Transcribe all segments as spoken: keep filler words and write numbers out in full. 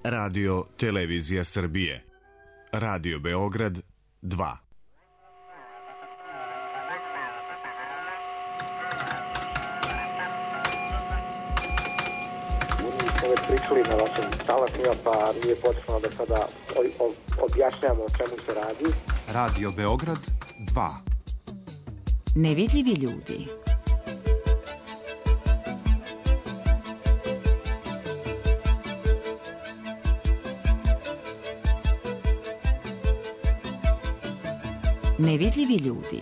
Radio Televizija Srbije. Radio Beograd dva. Smo već pričali na vašim talasima, pa nije potrebno da sada objašnjamo o čemu se radi. Radio Beograd dva. Nevidljivi ljudi. Nevidljivi ljudi.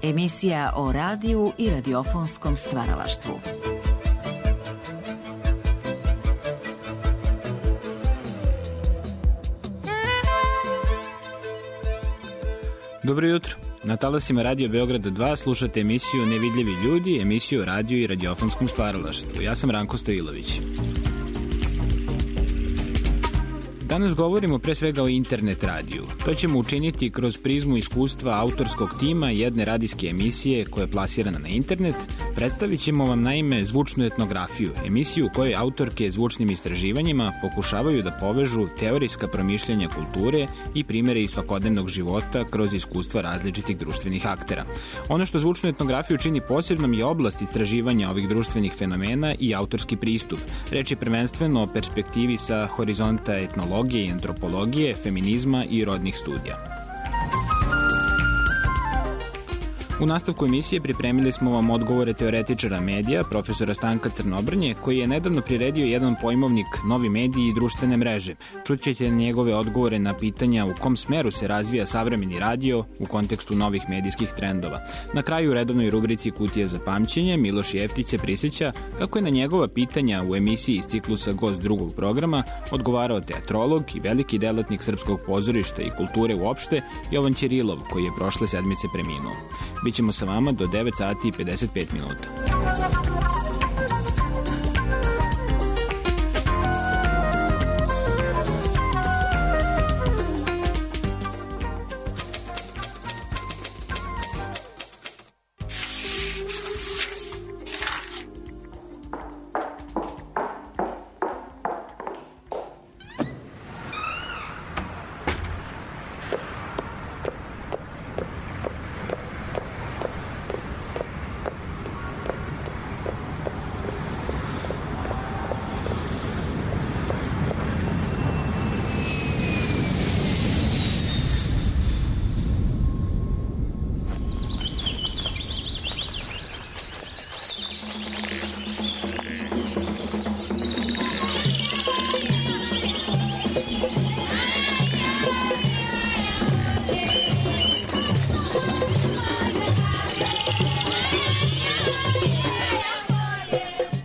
Emisija o radiju i radiofonskom stvaralaštvu. Dobro jutro. Na talasima Radio Beograda dva slušate emisiju Nevidljivi ljudi, emisiju o radiju i radiofonskom stvaralaštvu. Ja sam Ranko Stojilović. Danas govorimo pre svega o internet radiju. To ćemo učiniti kroz prizmu iskustva autorskog tima jedne radijske emisije koja je plasirana na internet. Predstavit ćemo vam naime zvučnu etnografiju, emisiju u kojoj autorke zvučnim istraživanjima pokušavaju da povežu teorijska promišljanja kulture i primere iz svakodnevnog života kroz iskustva različitih društvenih aktera. Ono što zvučnu etnografiju čini posebnom je oblast istraživanja ovih društvenih fenomena i autorski pristup. Reč je prvenstveno o perspektivi sa horizonta etnologije i antropologije, feminizma i rodnih studija. U nastavku emisije pripremili smo vam odgovore teoretičara medija, profesora Stanka Crnobrnje, koji je nedavno priredio jedan pojmovnik Novi mediji i društvene mreže. Čućete njegove odgovore na pitanja u kom smeru se razvija savremeni radio u kontekstu novih medijskih trendova. Na kraju u redovnoj rubrici Kutija za pamćenje Miloš Jeftić se prisjeća kako je na njegova pitanja u emisiji iz ciklusa Gost drugog programa odgovarao teatrolog i veliki delatnik srpskog pozorišta i kulture uopšte Jovan Ćirilov, koji je prošle sedmice preminuo. Bićemo sa vama do devet sati i pedeset pet minuta.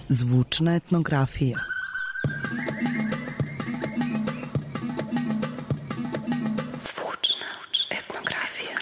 Zvučna etnografija. Zvučna etnografija.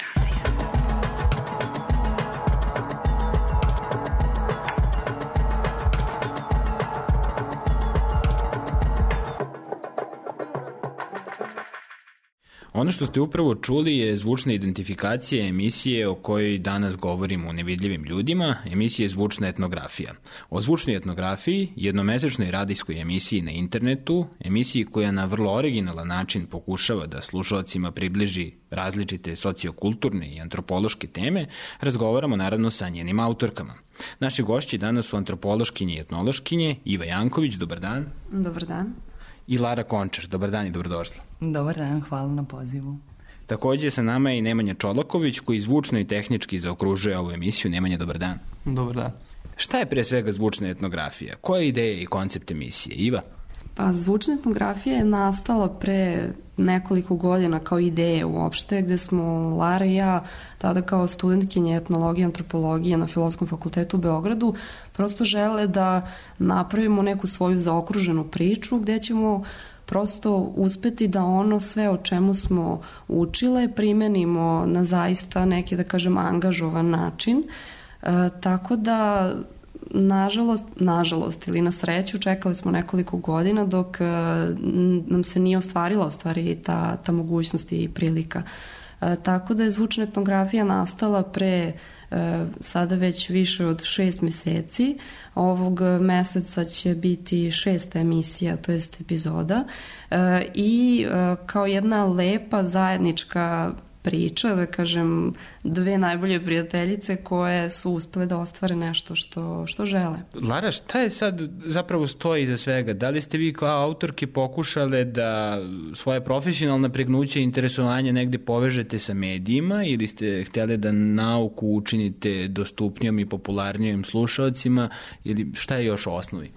Ono što ste upravo čuli je zvučna identifikacija emisije o kojoj danas govorimo u Nevidljivim ljudima, emisije Zvučna etnografija. O zvučnoj etnografiji, jednomesečnoj radijskoj emisiji na internetu, emisiji koja na vrlo originalan način pokušava da slušalcima približi različite sociokulturne i antropološke teme, razgovaramo naravno sa njenim autorkama. Naši gošći danas su antropološkinje i etnološkinje Iva Janković, dobar dan. Dobar dan. I Lara Končar, dobar dan i dobrodošla. Dobar dan, hvala na pozivu. Takođe sa nama je i Nemanja Čolaković, koji zvučno i tehnički zaokružuje ovu emisiju. Nemanja, dobar dan. Dobar dan. Šta je pre svega zvučna etnografija? Koja je ideja i koncept emisije? Iva? Pa zvučna etnografija je nastala pre nekoliko godina kao ideja uopšte, gde smo Lara i ja tada kao studentkinje etnologije i antropologije na Filozofskom fakultetu u Beogradu prosto žele da napravimo neku svoju zaokruženu priču gde ćemo prosto uspeti da ono sve o čemu smo učile primenimo na zaista neki, da kažem, angažovan način. E, tako da Nažalost, nažalost ili na sreću čekali smo nekoliko godina dok nam se nije ostvarila u stvari ta, ta mogućnost i prilika. Tako da je zvučna etnografija nastala pre sada već više od šest meseci. Ovog meseca će biti šesta emisija, to jest epizoda, i kao jedna lepa zajednička priča, da kažem, dve najbolje prijateljice koje su uspele da ostvare nešto što, što žele. Lara, šta je sad zapravo stoji iza svega? Da li ste vi kao autorke pokušale da svoje profesionalne pregnuće i interesovanje negde povežete sa medijima ili ste htjeli da nauku učinite dostupnijom i popularnijim slušalcima ili šta je još u osnovi?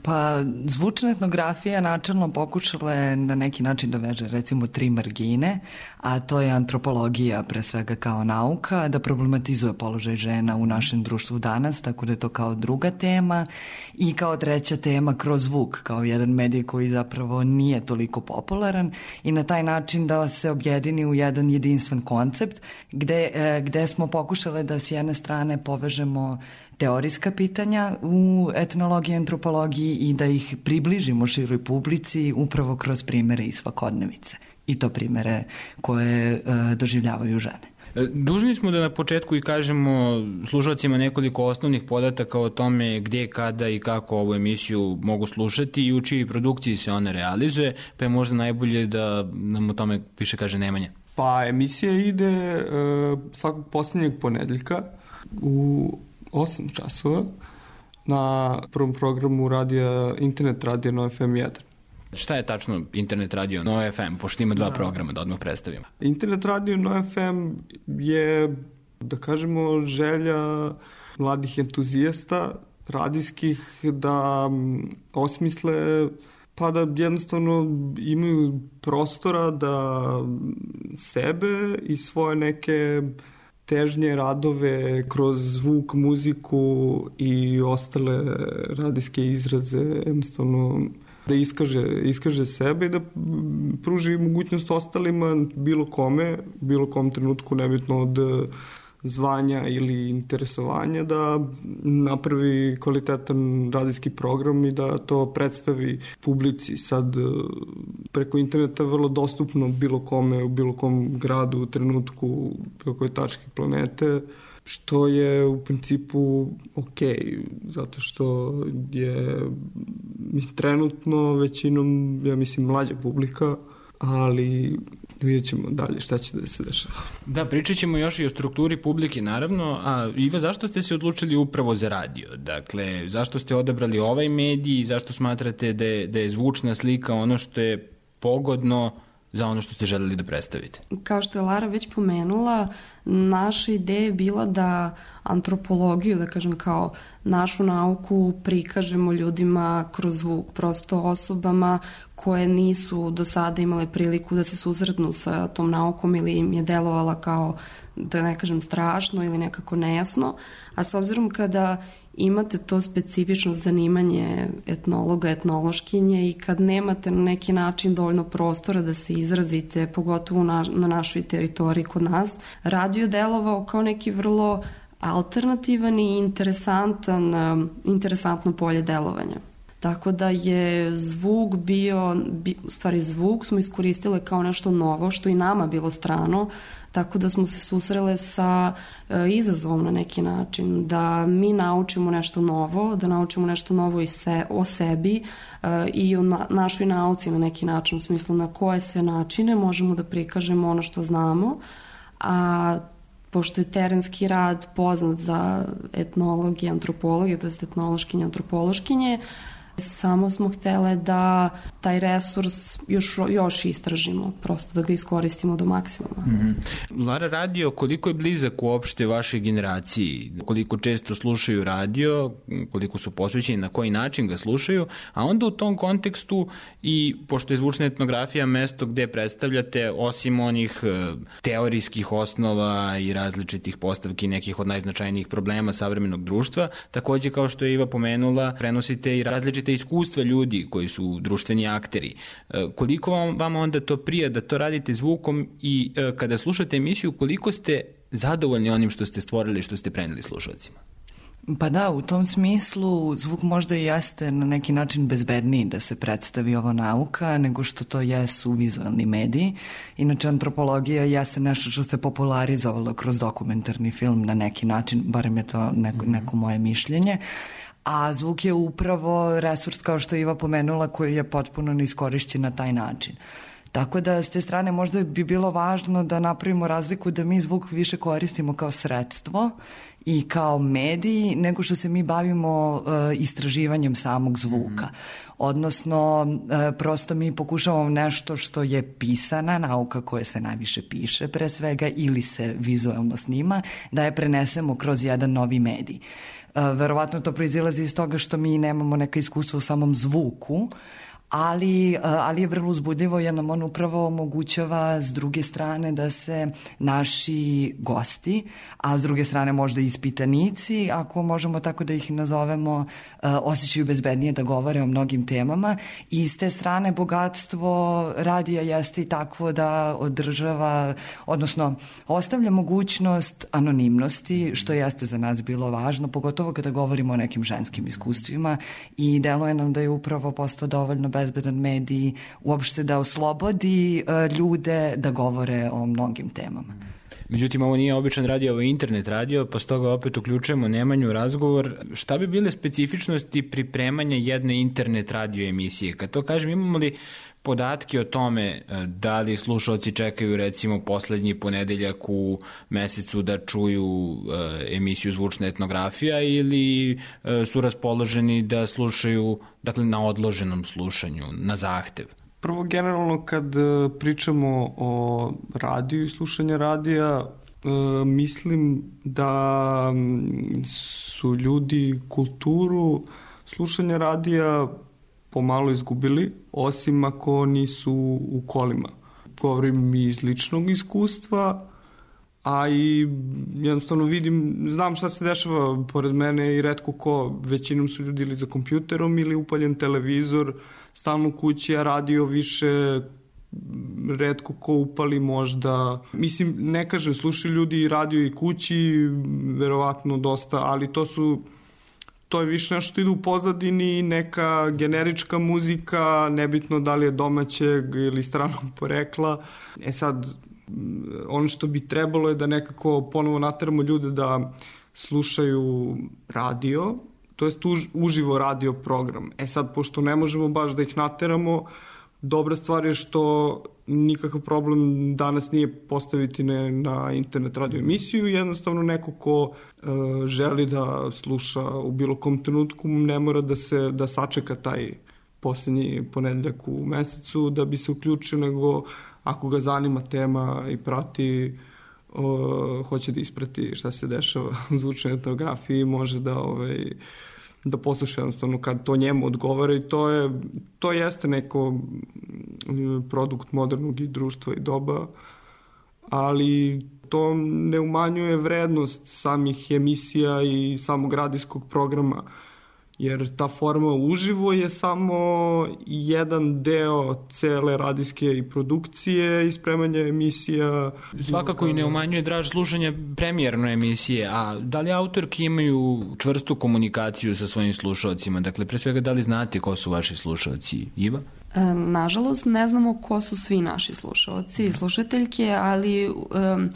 Pa zvučna etnografija načelno pokušala je na neki način da veže recimo tri margine, a to je antropologija pre svega kao nauka, da problematizuje položaj žena u našem društvu danas, tako da je to kao druga tema, i kao treća tema kroz zvuk, kao jedan medij koji zapravo nije toliko popularan, i na taj način da se objedini u jedan jedinstven koncept gde, gde smo pokušale da s jedne strane povežemo teorijska pitanja u etnologiji i antropologiji i da ih približimo široj publici upravo kroz primere iz svakodnevice. I to primere koje e, doživljavaju žene. Dužni smo da na početku i kažemo slušalcima nekoliko osnovnih podataka o tome gdje, kada i kako ovu emisiju mogu slušati i u čiji produkciji se ona realizuje, pa je možda najbolje da nam o tome više kaže Nemanja. Pa emisija ide e, svakog posljednjeg ponedeljka u osam časova na prvom programu radija, internet radija Nova F M jedan. Šta je tačno internet radio Nova F M, pošto ima dva da. programa, da odmah predstavimo? Internet radio Nova F M je, da kažemo, želja mladih entuzijasta radijskih da osmisle, pa da jednostavno imaju prostora da sebe i svoje neke težnje, radove kroz zvuk, muziku i ostale radijske izraze jednostavno da iskaže, iskaže sebe i da pruži mogućnost ostalima, bilo kome, bilo kom trenutku, nebitno od zvanja ili interesovanja, da napravi kvalitetan radijski program i da to predstavi publici. Sad preko interneta vrlo dostupno bilo kome u bilo kom gradu, u trenutku, bilo koje tačke planete, što je u principu ok, zato što je trenutno većinom, ja mislim, mlađa publika, ali vidjet ćemo dalje šta će da se dešava. Da, pričat ćemo još i o strukturi publike, naravno. A Iva, zašto ste se odlučili upravo za radio? Dakle, zašto ste odabrali ovaj medij i zašto smatrate da je, da je zvučna slika ono što je pogodno za ono što ste želeli da predstavite? Kao što je Lara već pomenula, naša ideja je bila da antropologiju, da kažem kao našu nauku, prikažemo ljudima kroz zvuk, prosto osobama koje nisu do sada imale priliku da se susretnu sa tom naukom ili im je delovala kao, da ne kažem, strašno ili nekako nejasno, a s obzirom kada imate to specifično zanimanje etnologa, etnološkinje i kad nemate na neki način dovoljno prostora da se izrazite, pogotovo na, na našoj teritoriji kod nas, radio je delovao kao neki vrlo alternativan i interesantan, interesantno polje delovanja. Tako da je zvuk bio, u stvari zvuk smo iskoristile kao nešto novo, što i nama bilo strano, tako da smo se susrele sa e, izazovom na neki način, da mi naučimo nešto novo, da naučimo nešto novo i se, o sebi e, i o na, našoj nauci na neki način, u smislu na koje sve načine možemo da prikažemo ono što znamo, a pošto je terenski rad poznat za etnologi i antropologije, to je etnološkinje i antropološkinje, samo smo htjele da taj resurs još, još istražimo, prosto da ga iskoristimo do maksimuma. Mm-hmm. Lara, radio koliko je blizak uopšte vašoj generaciji? Koliko često slušaju radio, koliko su posvećeni, na koji način ga slušaju, a onda u tom kontekstu i pošto je zvučna etnografija mesto gde predstavljate, osim onih teorijskih osnova i različitih postavki nekih od najznačajnijih problema savremenog društva, takođe kao što je Iva pomenula, prenosite i različite iskustva ljudi koji su društveni akteri. Koliko vam, vam onda to prija da to radite zvukom i kada slušate emisiju, koliko ste zadovoljni onim što ste stvorili, što ste preneli slušalcima? Pa da, u tom smislu zvuk možda i jeste na neki način bezbedniji da se predstavi ova nauka nego što to jesu vizualni mediji. Inače, antropologija jeste nešto što se popularizovalo kroz dokumentarni film na neki način, barem je to neko, neko moje mišljenje. A zvuk je upravo resurs, kao što je Iva pomenula, koji je potpuno neiskorišćen na taj način. Tako da, s te strane, možda bi bilo važno da napravimo razliku da mi zvuk više koristimo kao sredstvo i kao mediji, nego što se mi bavimo uh, istraživanjem samog zvuka. Mm-hmm. Odnosno, uh, prosto mi pokušavamo nešto što je pisana nauka koja se najviše piše pre svega ili se vizualno snima, da je prenesemo kroz jedan novi medij. Uh, verovatno to proizilazi iz toga što mi nemamo neka iskustva u samom zvuku, ali, ali je vrlo uzbudljivo jer nam on upravo omogućava s druge strane da se naši gosti, a s druge strane možda i ispitanici, ako možemo tako da ih nazovemo, osjećaju bezbednije da govore o mnogim temama i s te strane bogatstvo radija jeste i takvo da održava, odnosno ostavlja mogućnost anonimnosti, što jeste za nas bilo važno, pogotovo kada govorimo o nekim ženskim iskustvima i deluje nam da je upravo postao dovoljno bezbedan medij uopšte da oslobodi uh, ljude da govore o mnogim temama. Međutim, ovo nije običan radio, ovo je internet radio, pa stoga opet uključujemo Nemanju razgovor. Šta bi bile specifičnosti pripremanja jedne internet radio emisije? Kad to kažem, imamo li podatke o tome da li slušalci čekaju recimo poslednji ponedeljak u mesecu da čuju emisiju Zvučna etnografija ili su raspoloženi da slušaju, dakle, na odloženom slušanju, na zahtev? Prvo, generalno kad pričamo o radiju i slušanju radija, mislim da su ljudi kulturu slušanja radija pomalo izgubili, osim ako nisu u kolima. Govorim i iz ličnog iskustva, a i jednostavno vidim, znam šta se dešava pored mene i retko ko, većinom su ljudi ili za kompjuterom ili upaljen televizor, stalno u kući, a radio više retko ko upali možda. Mislim, ne kažem, slušaju ljudi i radio i kući, verovatno dosta, ali to su to je više nešto što ide u pozadini, neka generička muzika, nebitno da li je domaćeg ili stranog porekla. E sad, ono što bi trebalo je da nekako ponovo nateramo ljude da slušaju radio, to jest už, uživo radio program. E sad, pošto ne možemo baš da ih nateramo, dobra stvar je što nikakav problem danas nije postaviti ne, na internet radio emisiju, jednostavno neko ko e, želi da sluša u bilo kom trenutku ne mora da se da sačeka taj poslednji ponedeljak u mesecu da bi se uključio, nego ako ga zanima tema i prati, o, hoće da isprati šta se dešava u zvučnoj etnografiji, može da ovaj, da posluša jednostavno kad to njemu odgovara i to je to jeste neko produkt modernog i društva i doba, ali to ne umanjuje vrednost samih emisija i samog radijskog programa, jer ta forma uživo je samo jedan deo cele radijske i produkcije i spremanja emisija. Svakako i ne umanjuje draž slušanja premijerno emisije, a da li autorki imaju čvrstu komunikaciju sa svojim slušalcima? Dakle, pre svega, da li znate ko su vaši slušalci? Iva? E, nažalost, ne znamo ko su svi naši slušalci i slušateljke, ali um,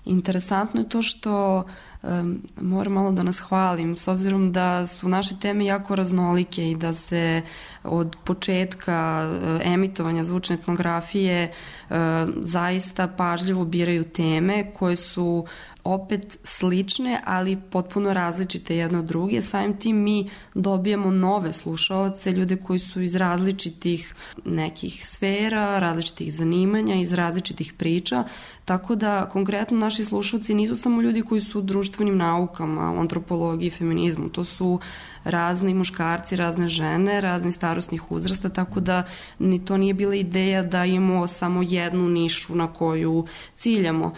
interesantno je to što um, moram malo da nas hvalim, s obzirom da su naše teme jako raznolike i da se od početka uh, emitovanja zvučne etnografije uh, zaista pažljivo biraju teme koje su opet slične, ali potpuno različite jedno od druge. Samim tim mi dobijamo nove slušaoce, ljude koji su iz različitih nekih sfera, različitih zanimanja, iz različitih priča, tako da konkretno naši slušaoci nisu samo ljudi koji su u društvenim naukama, u antropologiji, feminizmu, to su razni muškarci, razne žene, razni starosnih uzrasta, tako da ni to nije bila ideja da imamo samo jednu nišu na koju ciljamo,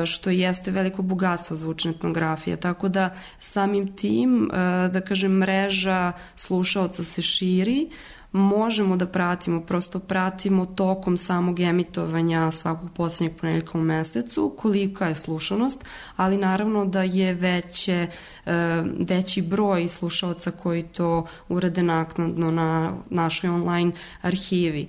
što jeste veliko bogatstvo zvučne etnografije, tako da samim tim, da kažem, mreža slušaoca se širi, možemo da pratimo, prosto pratimo tokom samog emitovanja svakog poslednjeg ponedeljka u mesecu, kolika je slušanost, ali naravno da je veće, veći broj slušaoca koji to urade naknadno na našoj online arhivi.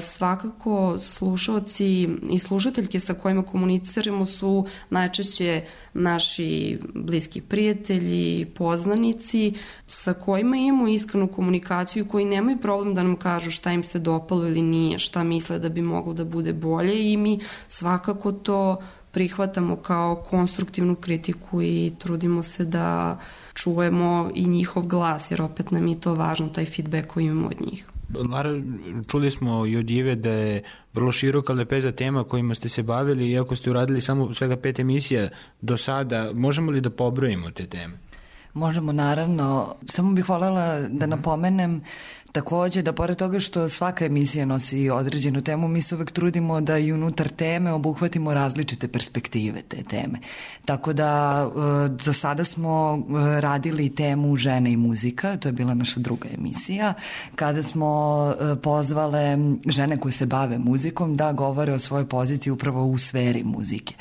Svakako slušaoci i slušateljke sa kojima komuniciramo su najčešće naši bliski prijatelji, poznanici sa kojima imamo iskrenu komunikaciju i koji nemaju problem da nam kažu šta im se dopalo ili nije, šta misle da bi moglo da bude bolje i mi svakako to prihvatamo kao konstruktivnu kritiku i trudimo se da čujemo i njihov glas, jer opet nam je to važno, taj feedback koji imamo od njih. Lara, čuli smo i od Ive da je vrlo široka lepeza tema kojima ste se bavili, iako ste uradili samo svega pet emisija do sada. Možemo li da pobrojimo te teme? Možemo, naravno. Samo bih voljela da napomenem takođe da pored toga što svaka emisija nosi određenu temu, mi se uvek trudimo da i unutar teme obuhvatimo različite perspektive te teme. Tako da za sada smo radili temu žene i muzika, to je bila naša druga emisija, kada smo pozvale žene koje se bave muzikom da govore o svojoj poziciji upravo u sferi muzike.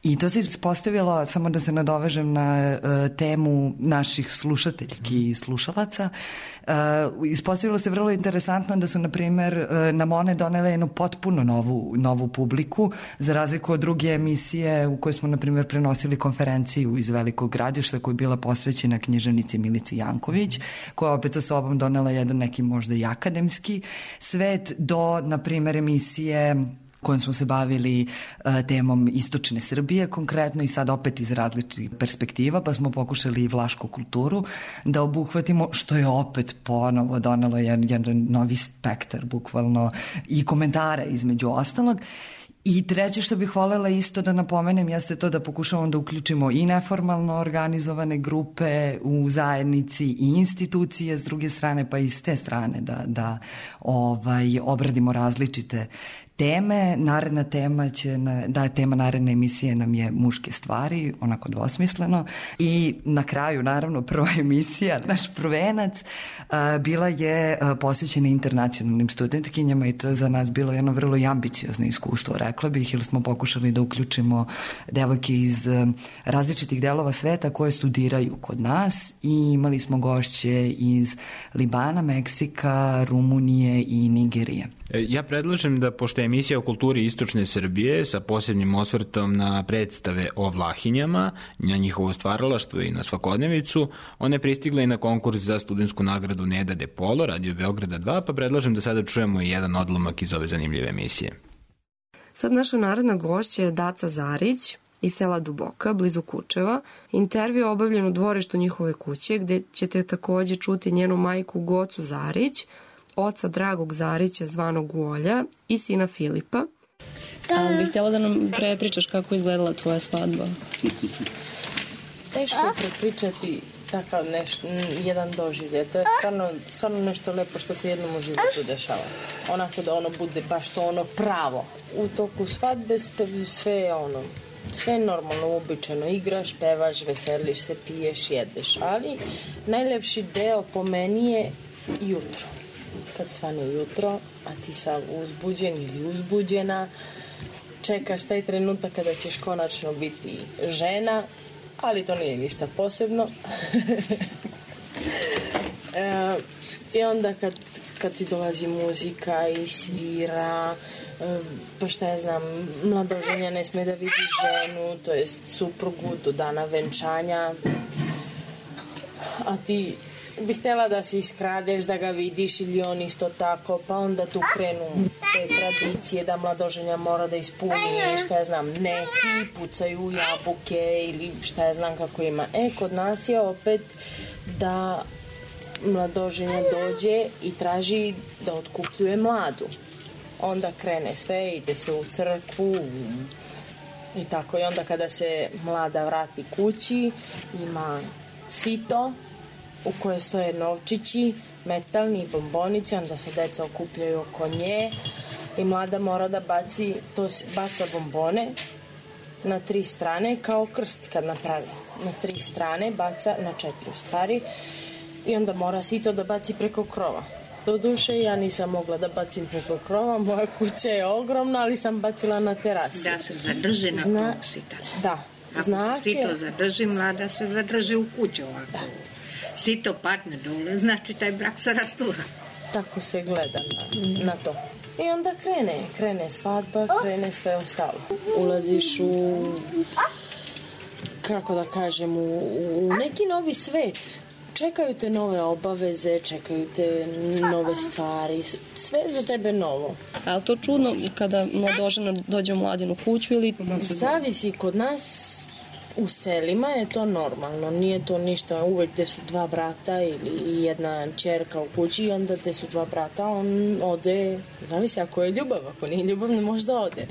I to se ispostavilo, samo da se nadovežem na uh, temu naših slušateljki i slušalaca, uh, ispostavilo se vrlo interesantno da su, na primer, uh, nam one donele jednu potpuno novu, novu publiku, za razliku od druge emisije u kojoj smo, na primer, prenosili konferenciju iz Velikog Gradišta koja je bila posvećena književnici Milici Janković, koja opet sa sobom donela jedan neki možda i akademski svet, do, na primer, emisije kojom smo se bavili uh, temom istočne Srbije konkretno i sad opet iz različitih perspektiva, pa smo pokušali i vlašku kulturu da obuhvatimo, što je opet ponovo donelo jedan, jedan novi spektar bukvalno i komentara između ostalog. I treće što bih voljela isto da napomenem jeste to da pokušavamo da uključimo i neformalno organizovane grupe u zajednici i institucije s druge strane, pa i s te strane da, da ovaj, obradimo različite teme. Naredna tema će, da je tema naredne emisije nam je muške stvari, onako dvosmisleno. I na kraju, naravno, prva emisija, naš prvenac, bila je posvećena internacionalnim studentkinjama i to je za nas bilo jedno vrlo ambiciozno iskustvo, rekla bih, jer smo pokušali da uključimo devojke iz različitih delova sveta koje studiraju kod nas i imali smo gošće iz Libana, Meksika, Rumunije i Nigerije. Ja predlažem da, pošto je emisija o kulturi istočne Srbije sa posebnim osvrtom na predstave o Vlahinjama, na njihovo stvaralaštvo i na svakodnevicu, ona je pristigla i na konkurs za studentsku nagradu Neda de Polo, Radio Beograda dva, pa predlažem da sada čujemo i jedan odlomak iz ove zanimljive emisije. Sad naša naredna gošća je Daca Zarić iz sela Duboka, blizu Kučeva. Intervju je obavljen u dvorištu njihove kuće, gde ćete takođe čuti njenu majku Gocu Zarić, oca Dragog Zarića zvanog Uolja i sina Filipa. A bih htjela da nam prepričaš kako izgledala tvoja svadba. Teško je prepričati takav nešto, jedan doživljaj. To je stvarno, stvarno nešto lepo što se jednom u životu dešava. Onako da ono bude baš to ono pravo. U toku svadbe sve je ono, sve je normalno, uobičajeno. Igraš, pevaš, veseliš se, piješ, jedeš. Ali najlepši deo po meni je jutro. Kad svane jutro, a ti sam uzbuđen ili uzbuđena, čekaš taj trenutak kada ćeš konačno biti žena, ali to nije ništa posebno. e, I onda kad, kad ti dolazi muzika i svira, e, pa šta ja znam, mladoženja ne sme da vidi ženu, to jest suprugu do dana venčanja, a ti bih htjela da se iskradeš, da ga vidiš ili on isto tako, pa onda tu krenu te tradicije da mladoženja mora da ispuni, šta ja znam, neki pucaju jabuke ili šta ja znam kako ima. E, kod nas je opet da mladoženja dođe i traži da otkupljuje mladu. Onda krene sve, ide se u crkvu i tako. I onda kada se mlada vrati kući, ima sito u koje stoje novčići, metalni i bombonići, onda se deca okupljaju oko nje i mlada mora da baci, to baca bombone na tri strane, kao krst kad napravi. Na tri strane baca, na četiri u stvari, i onda mora sito da baci preko krova. Doduše, ja nisam mogla da bacim preko krova, moja kuća je ogromna, ali sam bacila na terasi. Da se zadrži na Zna... tom sita. Da. Ako Znak se sito je... zadrži, mlada se zadrži u kuću ovako. Da. Sito padne dole, znači taj brak se rastura. Tako se gleda na, na to. I onda krene, krene svadba, krene sve ostalo. Ulaziš u, kako da kažem, u, u neki novi svet. Čekaju te nove obaveze, čekaju te nove stvari, sve za tebe novo. Ali to čudno kada mladožena dođe u mladinu kuću ili... Zavisi, kod nas u selima je to normalno, nije to ništa, uvek gde su dva brata ili jedna ćerka u kući i onda gde su dva brata, on ode, zavisi ako je ljubav, ako nije ljubav ne može da ode.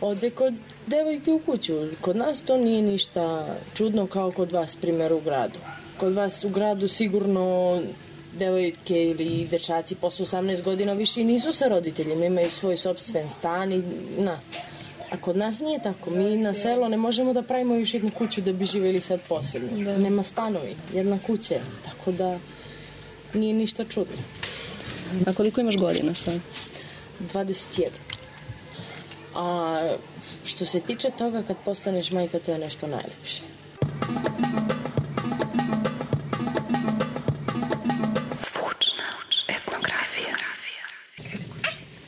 Ode kod devojke u kuću, kod nas to nije ništa čudno kao kod vas, primjer u gradu. Kod vas u gradu sigurno devojke ili dečaci posle osamnaest godina više nisu sa roditeljima, imaju svoj sopstven stan i na. A kod nas nije tako. Mi na selo ne možemo da pravimo još jednu kuću da bi živjeli sad posebno. Da. Nema stanovi, jedna kuća. Tako da nije ništa čudno. A koliko imaš godina sad? dvadeset jedan. A što se tiče toga kad postaneš majka, to je nešto najlepše.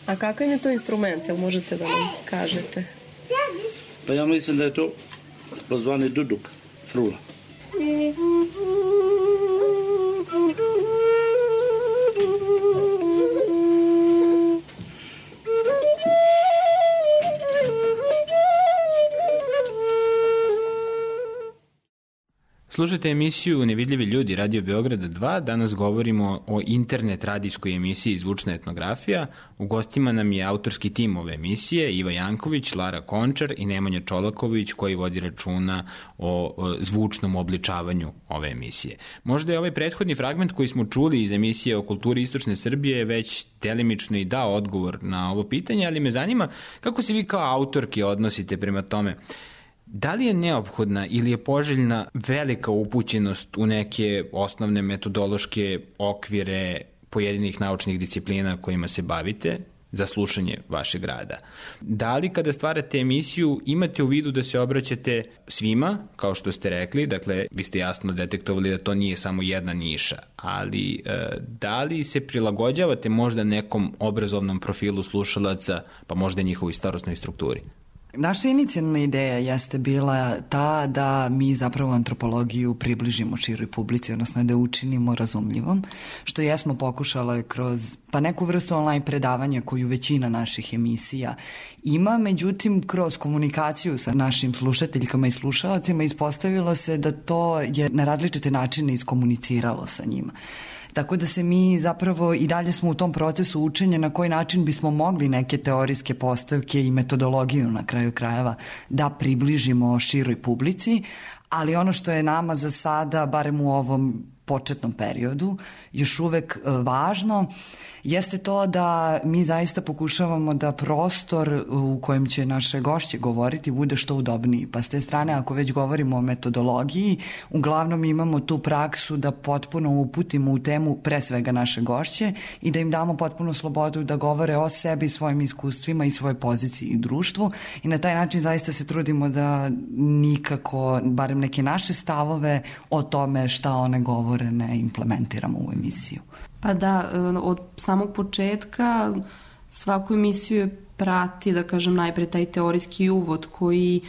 A kakav je to instrument, jel možete da nam kažete? Pa ja mislim da je to pozvani duduk, frula. Slušajte emisiju Nevidljivi ljudi Radio Beograda dva. Danas govorimo o internet radijskoj emisiji Zvučna etnografija. U gostima nam je autorski tim ove emisije Iva Janković, Lara Končar i Nemanja Čolaković koji vodi računa o, o zvučnom obličavanju ove emisije. Možda je ovaj prethodni fragment koji smo čuli iz emisije o kulturi Istočne Srbije već delimično i dao odgovor na ovo pitanje, ali me zanima kako se vi kao autorke odnosite prema tome. Da li je neophodna ili je poželjna velika upućenost u neke osnovne metodološke okvire pojedinih naučnih disciplina kojima se bavite za slušanje vašeg rada? Da li kada stvarate emisiju imate u vidu da se obraćate svima, kao što ste rekli, dakle vi ste jasno detektovali da to nije samo jedna niša, ali e, da li se prilagođavate možda nekom obrazovnom profilu slušalaca, pa možda njihovoj starosnoj strukturi? Naša inicijalna ideja jeste bila ta da mi zapravo antropologiju približimo široj publici, odnosno da učinimo razumljivom, što jesmo pokušale kroz pa neku vrstu online predavanja koju većina naših emisija ima, međutim kroz komunikaciju sa našim slušateljkama i slušalcima ispostavilo se da to je na različite načine iskomuniciralo sa njima. Tako da se mi zapravo i dalje smo u tom procesu učenja na koji način bismo mogli neke teorijske postavke i metodologiju na kraju krajeva da približimo široj publici, ali ono što je nama za sada, barem u ovom početnom periodu, još uvek važno, jeste to da mi zaista pokušavamo da prostor u kojem će naše gošće govoriti bude što udobniji. Pa s te strane, ako već govorimo o metodologiji, uglavnom imamo tu praksu da potpuno uputimo u temu pre svega naše gošće i da im damo potpunu slobodu da govore o sebi, svojim iskustvima i svojoj poziciji u društvu i na taj način zaista se trudimo da nikako, barem neke naše stavove o tome šta one govore ne implementiramo u emisiju. Pa da, od samog početka svaku emisiju prati, da kažem, najpre taj teorijski uvod koji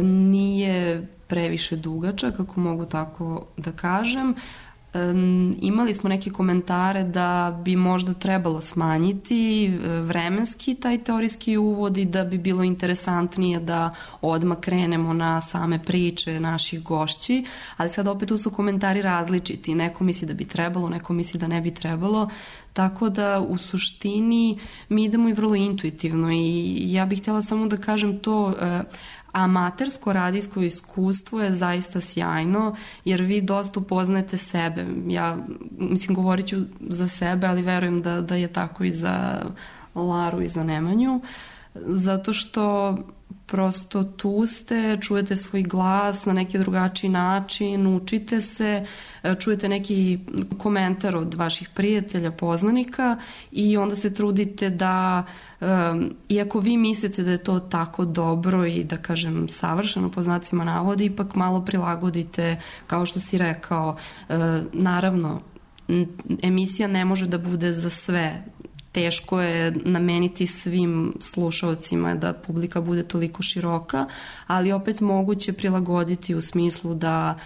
nije previše dugačak, ako mogu tako da kažem. Imali smo neke komentare da bi možda trebalo smanjiti vremenski taj teorijski uvod i da bi bilo interesantnije da odmah krenemo na same priče naših gošći, ali sad opet tu su komentari različiti. Neko misli da bi trebalo, neko misli da ne bi trebalo, tako da u suštini mi idemo i vrlo intuitivno i ja bih htjela samo da kažem to. Amatersko radijsko iskustvo je zaista sjajno jer vi dosta upoznajete sebe. Ja, mislim, govorit ću za sebe, ali verujem da, da je tako i za Laru i za Nemanju. zato što prosto tu ste, čujete svoj glas na neki drugačiji način, učite se, čujete neki komentar od vaših prijatelja, poznanika i onda se trudite da, um, iako vi mislite da je to tako dobro i da kažem savršeno po znacima navodi, ipak malo prilagodite, kao što si rekao, uh, naravno, emisija ne može da bude za sve. Teško je nameniti svim slušaocima da publika bude toliko široka, ali opet moguće prilagoditi u smislu da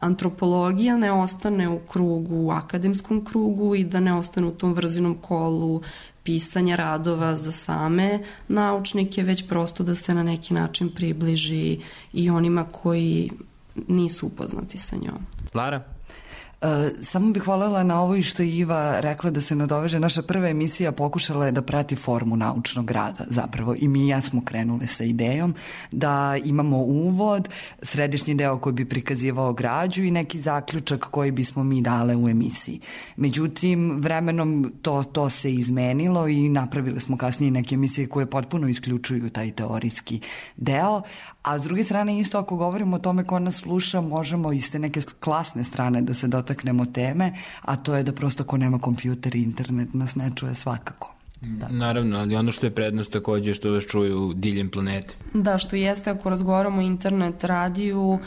antropologija ne ostane u krugu, u akademskom krugu i da ne ostane u tom vrzinom kolu pisanja radova za same naučnike, već prosto da se na neki način približi i onima koji nisu upoznati sa njom. Lara? Uh, samo bih voljela na ovo i što je Iva rekla da se nadoveže. Naša prva emisija pokušala je da prati formu naučnog rada zapravo i mi i ja smo krenule sa idejom da imamo uvod, središnji deo koji bi prikazivao građu i neki zaključak koji bismo mi dale u emisiji. Međutim, vremenom to, to se izmenilo i napravili smo kasnije neke emisije koje potpuno isključuju taj teorijski deo, a s druge strane isto ako govorimo o tome ko nas sluša, možemo iz te neke klasne strane da se dotaknemo teme, a to je da prosto ko nema kompjuter i internet nas ne čuje svakako. Da. Naravno, ali ono što je prednost takođe što vas čuju diljem planete. Da, što jeste ako razgovaramo o internet radiju,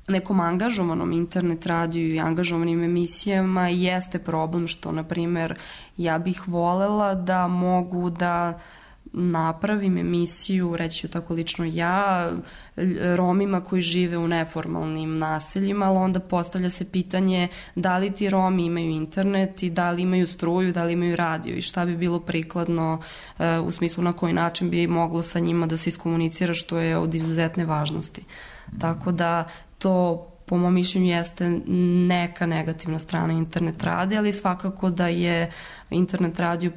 nekom angažovanom internet radiju i angažovanim emisijama jeste problem što, na primer, ja bih volela da mogu da napravim emisiju, reći ću tako lično ja, Romima koji žive u neformalnim naseljima, ali onda postavlja se pitanje da li ti Romi imaju internet i da li imaju struju, da li imaju radio i šta bi bilo prikladno u smislu na koji način bi moglo sa njima da se iskomunicira, što je od izuzetne važnosti. Tako da to po mom mišljenju jeste neka negativna strana internet rade, ali svakako da je internet radio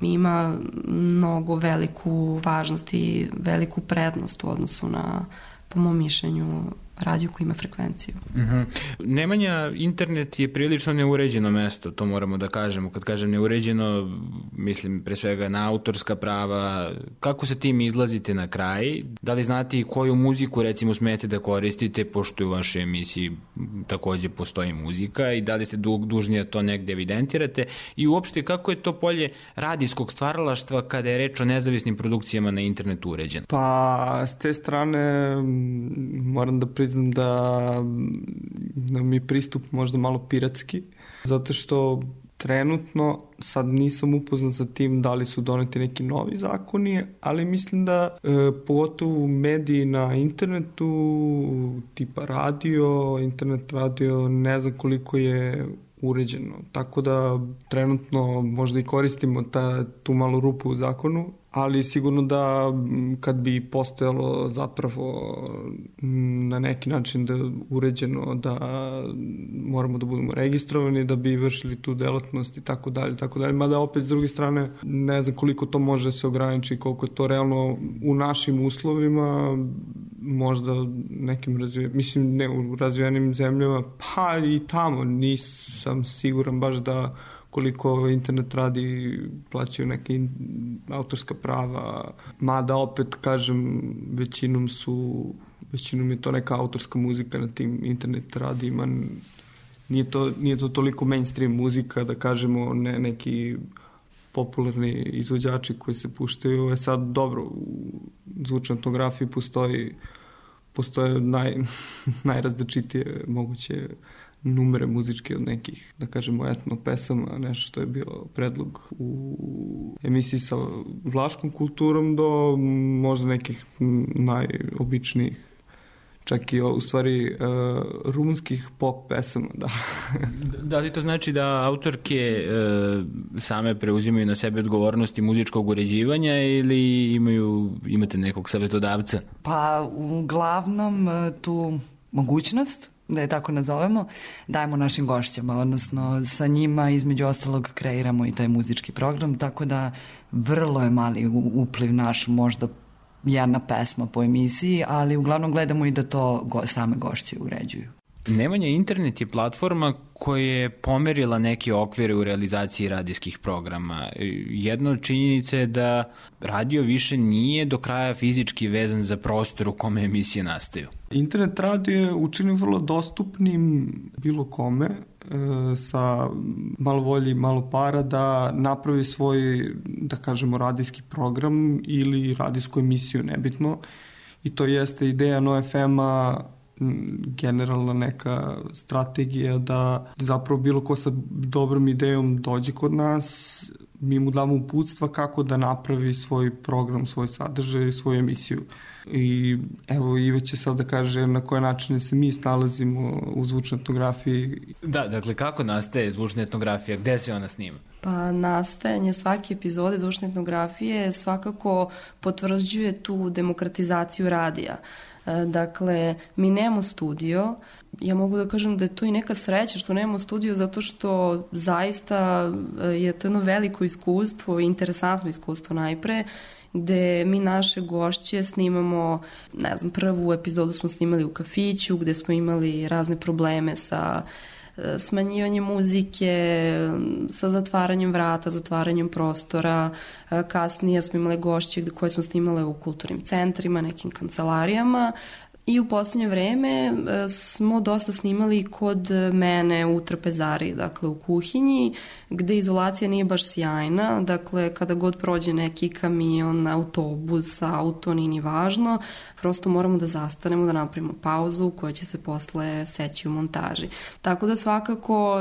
ima mnogo veliku važnost i veliku prednost u odnosu na, po mom mišljenju, radio koji ima frekvenciju. Uh-huh. Nemanja, internet je prilično neuređeno mesto, to moramo da kažemo. Kad kažem neuređeno, mislim pre svega na autorska prava. Kako sa tim izlazite na kraj? Da li znate i koju muziku recimo smete da koristite, pošto u vašoj emisiji takođe postoji muzika, i da li ste dužni da to negde evidentirate? I uopšte kako je to polje radijskog stvaralaštva kada je reč o nezavisnim produkcijama na internetu uređeno? Pa, s te strane moram da priznam da nam je pristup možda malo piratski, zato što trenutno sad nisam upoznat sa tim da li su doneti neki novi zakoni, ali mislim da e, pogotovo mediji na internetu, tipa radio, internet radio, ne znam koliko je uređeno. Tako da trenutno možda i koristimo ta, tu malu rupu u zakonu, ali sigurno da kad bi postojalo zapravo na neki način da uređeno da moramo da budemo registrovani da bi vršili tu delatnost i tako dalje, tako dalje, mada opet s druge strane ne znam koliko to može da se ograniči, koliko je to realno u našim uslovima, možda nekim razvijenim, mislim ne u razvijenim zemljama, pa i tamo nisam siguran baš da koliko internet radi plaćaju neke autorska prava, mada opet kažem većinom su većinom je to neka autorska muzika na tim internet radijima, nije to, nije to toliko mainstream muzika da kažemo ne, neki popularni izvođači koji se puštaju, je sad dobro u zvučnoj etnografiji postoji postoje naj, najrazličitije moguće numere muzičke od nekih, da kažemo, etno pesama, nešto što je bio predlog u emisiji sa vlaškom kulturom do možda nekih najobičnijih, čak i u stvari uh, rumunskih pop pesama, da. Da li to znači da autorke uh, same preuzimaju na sebe odgovornosti muzičkog uređivanja ili imaju, imate nekog savjetodavca? Pa uglavnom tu mogućnost, da je tako nazovemo, dajemo našim gošćama, odnosno sa njima između ostalog kreiramo i taj muzički program, tako da vrlo je mali upliv naš, možda jedna pesma po emisiji, ali uglavnom gledamo i da to go, same gošće uređuju. Nemanja, internet je platforma koja je pomerila neke okvire u realizaciji radijskih programa. Jedna od činjenica je da radio više nije do kraja fizički vezan za prostor u kome emisije nastaju. Internet radio je učinio vrlo dostupnim bilo kome e, sa malo volje i malo para da napravi svoj, da kažemo, radijski program ili radijsku emisiju, nebitno. I to jeste ideja N O F M-a, generalna neka strategija da zapravo bilo ko sa dobrom idejom dođe kod nas, mi mu damo uputstva kako da napravi svoj program, svoj sadržaj, svoju emisiju. I evo, Ive će sad da kaže na koje načine se mi snalazimo u zvučnoj etnografiji. Da, dakle, kako nastaje zvučna etnografija? Gde se ona snima? Pa nastajanje svake epizode zvučne etnografije svakako potvrđuje tu demokratizaciju radija. Dakle, mi nemamo studio. Ja mogu da kažem da je to i neka sreća što nemamo studio, zato što zaista je to jedno veliko iskustvo, interesantno iskustvo najpre, gde mi naše gošće snimamo, ne znam, prvu epizodu smo snimali u kafiću, gde smo imali razne probleme sa smanjivanjem muzike, sa zatvaranjem vrata, zatvaranjem prostora. Kasnije smo imali gošće koje smo snimale u kulturnim centrima, nekim kancelarijama. I u poslednje vreme smo dosta snimali kod mene u trpezari, dakle u kuhinji, gde izolacija nije baš sjajna, dakle kada god prođe neki kamion, autobus, auto, nije ni važno, prosto moramo da zastanemo, da napravimo pauzu koja će se posle seći u montaži. Tako da svakako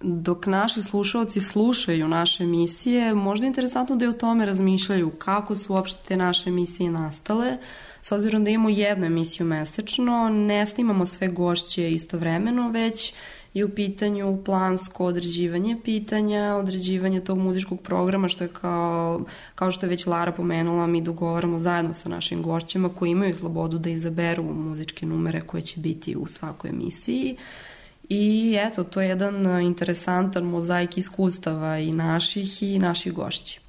dok naši slušalci slušaju naše emisije, možda je interesantno da je o tome razmišljaju kako su uopšte te naše emisije nastale. S obzirom da imamo jednu emisiju mesečno, ne snimamo sve gošće istovremeno, već je u pitanju plansko određivanje pitanja, određivanje tog muzičkog programa, što je kao, kao što je već Lara pomenula, mi dogovaramo zajedno sa našim gošćima koji imaju slobodu da izaberu muzičke numere koje će biti u svakoj emisiji. I eto, to je jedan interesantan mozaik iskustava i naših i naših gošći.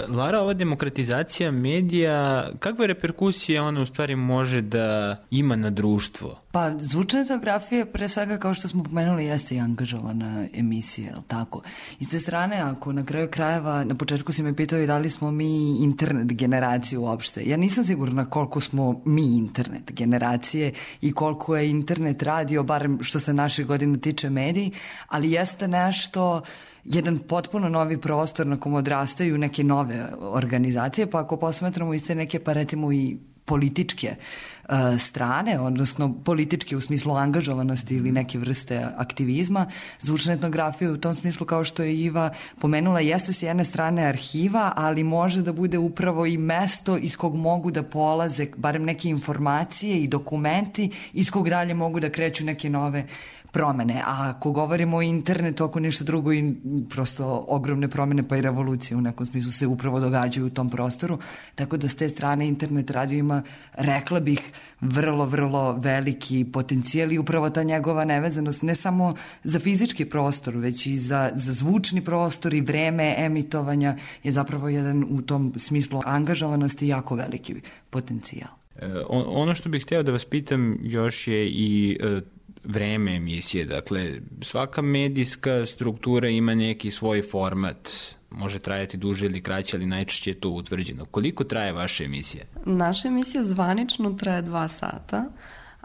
Lara, ova demokratizacija medija, kakve reperkusije ona u stvari može da ima na društvo? Pa, zvučna etnografija, pre svega, kao što smo pomenuli, jeste i angažovana emisija, je li tako? I s te strane, ako na kraju krajeva, na početku si me pitao i da li smo mi internet generacija uopšte. Ja nisam sigurna koliko smo mi internet generacije i koliko je internet radio, barem što se naših godina tiče mediji, ali jeste nešto, jedan potpuno novi prostor na kom odrastaju neke nove organizacije, pa ako posmatramo i sve neke, pa recimo i političke uh, strane, odnosno političke u smislu angažovanosti ili neke vrste aktivizma, zvučna etnografija u tom smislu, kao što je Iva pomenula, jeste s jedne strane arhiva, ali može da bude upravo i mesto iz kog mogu da polaze barem neke informacije i dokumenti iz kog dalje mogu da kreću neke nove promene. A ako govorimo o internetu, ako ništa drugo, i prosto ogromne promene pa i revolucije u nekom smislu se upravo događaju u tom prostoru. Tako da s te strane internet radio ima, rekla bih, vrlo, vrlo veliki potencijal i upravo ta njegova nevezanost ne samo za fizički prostor, već i za, za zvučni prostor i vreme emitovanja je zapravo jedan u tom smislu angažovanosti jako veliki potencijal. E, ono što bih hteo da vas pitam još je i e, vreme emisije. Dakle, svaka medijska struktura ima neki svoj format. Može trajati duže ili kraće, ali najčešće je to utvrđeno. Koliko traje vaša emisija? Naša emisija zvanično traje dva sata,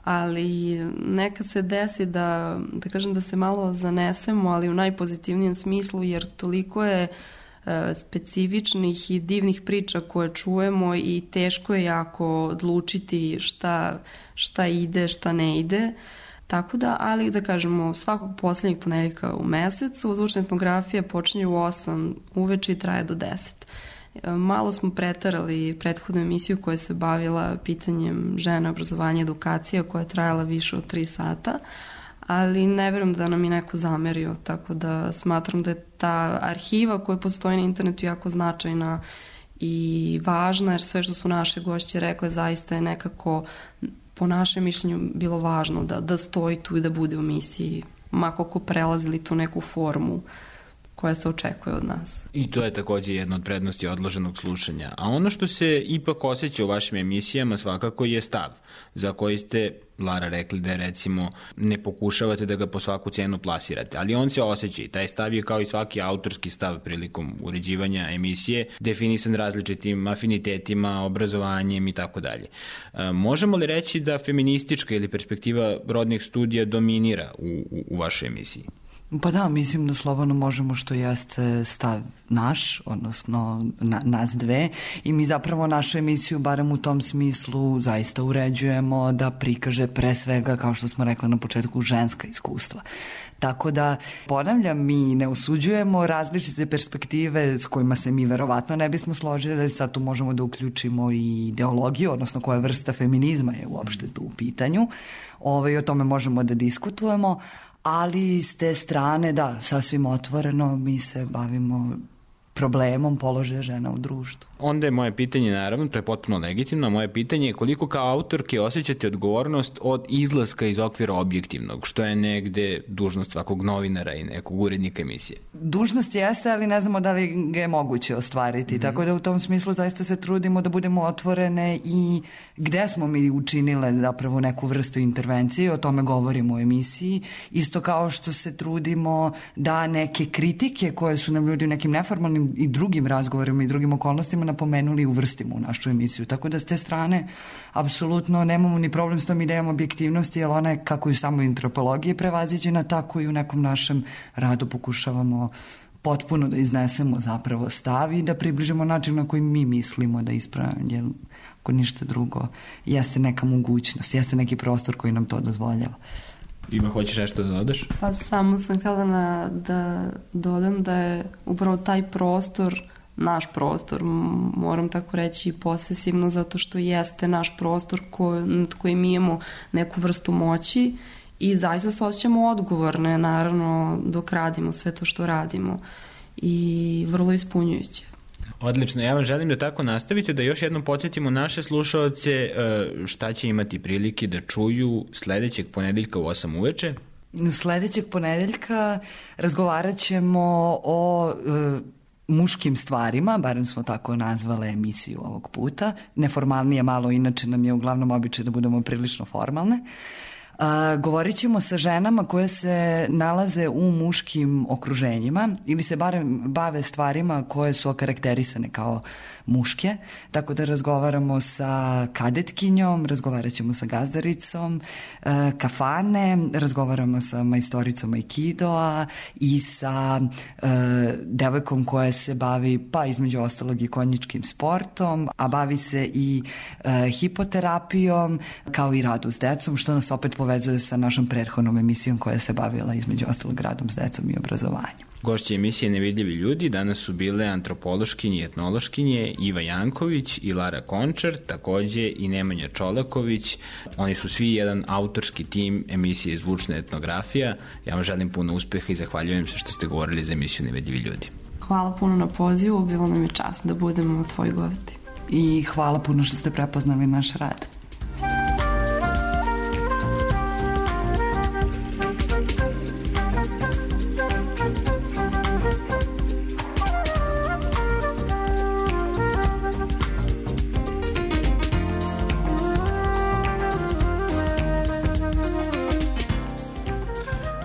ali nekad se desi da, da kažem da se malo zanesemo, ali u najpozitivnijem smislu, jer toliko je e, specifičnih i divnih priča koje čujemo i teško je jako odlučiti šta, šta ide, šta ne ide. Tako da, ali da kažemo, svakog poslednjeg ponedeljka u mesecu zvučna etnografija počinje u osam uveče i traje do deset. Malo smo pretarali prethodnu emisiju koja se bavila pitanjem žena, obrazovanja, edukacija, koja je trajala više od tri sata, ali ne verujem da nam je neko zamerio, tako da smatram da je ta arhiva koja postoji na internetu jako značajna i važna, jer sve što su naše gošće rekle zaista je nekako, po našem mišljenju, bilo važno da, da stoji tu i da bude u emisiji, mako ko prelazili tu neku formu koja se očekuje od nas. I to je takođe jedna od prednosti odloženog slušanja. A ono što se ipak osjeća u vašim emisijama svakako je stav, za koji ste, Lara, rekli da recimo ne pokušavate da ga po svaku cenu plasirate, ali on se osjeća i taj stav je kao i svaki autorski stav prilikom uređivanja emisije, definisan različitim afinitetima, obrazovanjem i tako dalje. Možemo li reći da feministička ili perspektiva rodnih studija dominira u, u, u vašoj emisiji? Pa da, mislim da slobodno možemo, što jeste stav naš, odnosno na, nas dve, i mi zapravo našu emisiju, barem u tom smislu, zaista uređujemo da prikaže pre svega, kao što smo rekli na početku, ženska iskustva. Tako da, ponavljam, mi ne osuđujemo različite perspektive s kojima se mi verovatno ne bismo složili, sad tu možemo da uključimo i ideologiju, odnosno koja vrsta feminizma je uopšte tu u pitanju. Ove, o tome možemo da diskutujemo, ali s te strane, da, sasvim otvoreno mi se bavimo problemom položaja žena u društvu. Onda je moje pitanje, naravno, to je potpuno legitimno, moje pitanje je koliko kao autorke osjećate odgovornost od izlaska iz okvira objektivnog, što je negde dužnost svakog novinara i nekog urednika emisije. Dužnost jeste, ali ne znamo da li ga je moguće ostvariti, mm-hmm. tako da u tom smislu zaista se trudimo da budemo otvorene i gde smo mi učinile zapravo neku vrstu intervencije, o tome govorimo u emisiji, isto kao što se trudimo da neke kritike koje su nam ljudi u nekim neformalnim i drugim razgovorima i drugim okolnostima napomenuli i uvrstimo u našu emisiju. Tako da s te strane apsolutno nemamo ni problem s tom idejom objektivnosti, jer ona je kako i u samoj antropologiji prevaziđena, tako i u nekom našem radu pokušavamo potpuno da iznesemo zapravo stav i da približimo način na koji mi mislimo da ispravljamo, jer ako ništa drugo jeste neka mogućnost, jeste neki prostor koji nam to dozvoljava. Ima, hoćeš nešto da dodaš? Pa samo sam htjela na, da dodam da je upravo taj prostor naš prostor, moram tako reći posesivno, zato što jeste naš prostor ko, nad kojim mi imamo neku vrstu moći i zaista se osjećamo odgovorne, naravno, dok radimo sve to što radimo i vrlo ispunjujuće. Odlično, ja vam želim da tako nastavite, da još jednom podsjetimo naše slušaoce šta će imati prilike da čuju sledećeg ponedeljka u osam uveče. Sledećeg ponedeljka razgovarat ćemo o e, muškim stvarima, barem smo tako nazvale emisiju ovog puta. Neformalnije malo, inače nam je uglavnom običaj da budemo prilično formalne. A, govorit ćemo sa ženama koje se nalaze u muškim okruženjima ili se barem bave stvarima koje su okarakterisane kao muške, tako da razgovaramo sa kadetkinjom, razgovarat ćemo sa gazdaricom e, kafane, razgovaramo sa majstoricom aikidoa i sa e, devojkom koja se bavi, pa između ostalog i konjičkim sportom, a bavi se i e, hipoterapijom, kao i radu s decom, što nas opet povezuje sa našom prethodnom emisijom koja se bavila između ostalog radom s decom i obrazovanjem. Gošće emisije Nevidljivi ljudi danas su bile antropološkinje i etnološkinje Iva Janković i Lara Končar, takođe i Nemanja Čolaković. Oni su svi jedan autorski tim emisije Zvučna etnografija. Ja vam želim puno uspeha i zahvaljujem se što ste govorili za emisiju Nevidljivi ljudi. Hvala puno na pozivu, bilo nam je čast da budemo tvoji gosti. I hvala puno što ste prepoznali naš rad.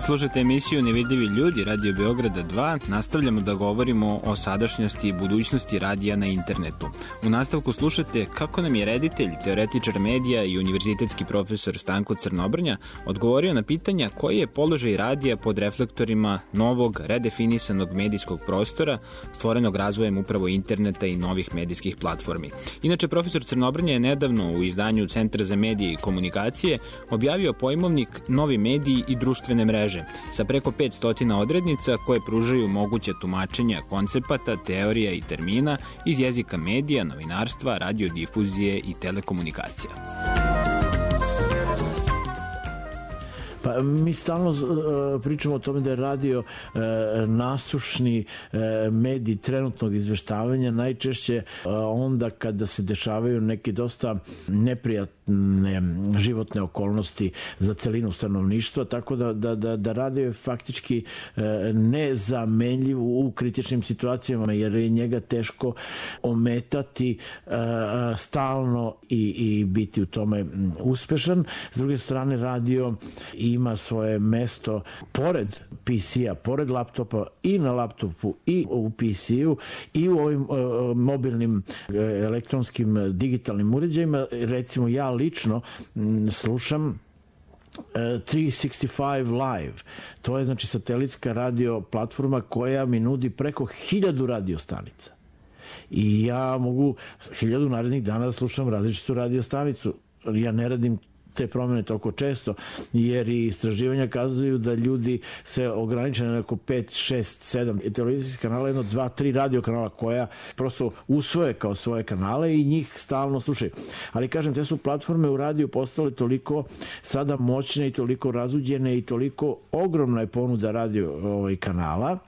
Slušajte emisiju Nevidljivi ljudi, Radio Beograda dva. Nastavljamo da govorimo o sadašnjosti i budućnosti radija na internetu. U nastavku slušate kako nam je reditelj, teoretičar medija i univerzitetski profesor Stanko Crnobrnja odgovorio na pitanja koji je položaj radija pod reflektorima novog, redefinisanog medijskog prostora stvorenog razvojem upravo interneta i novih medijskih platformi. Inače, profesor Crnobrnja je nedavno u izdanju Centra za medije i komunikacije objavio pojmovnik Novi mediji i društvene mreže sa preko petsto odrednica koje pružaju moguće tumačenja koncepata, teorija i termina iz jezika medija, novinarstva, radiodifuzije i telekomunikacija. Pa mi stalno uh, pričamo o tome da je radio uh, nasušni uh, medij trenutnog izveštavanja, najčešće uh, onda kada se dešavaju neki dosta neprijatni životne, životne okolnosti za celinu stanovništva, tako da, da, da, da radio je faktički nezamenljiv u kritičnim situacijama, jer je njega teško ometati stalno i, i biti u tome uspešan. S druge strane, radio ima svoje mesto pored P C-a, pored laptopa, i na laptopu i u P C-u i u ovim uh, mobilnim uh, elektronskim uh, digitalnim uređajima. Recimo, ja lično m, slušam tristo šezdeset pet Live. To je znači satelitska radio platforma koja mi nudi preko hiljadu radio stanica. I ja mogu hiljadu narednih dana da slušam različitu radio stanicu. Ja ne radim te promene toliko često, jer i istraživanja kazuju da ljudi se ograniče na neko pet, šest, sedam televizijskih kanala, jedno, dva, tri radio kanala koja prosto usvoje kao svoje kanale i njih stalno slušaju. Ali kažem, te su platforme u radiju postale toliko sada moćne i toliko razuđene i toliko ogromna je ponuda radio ovaj, kanala,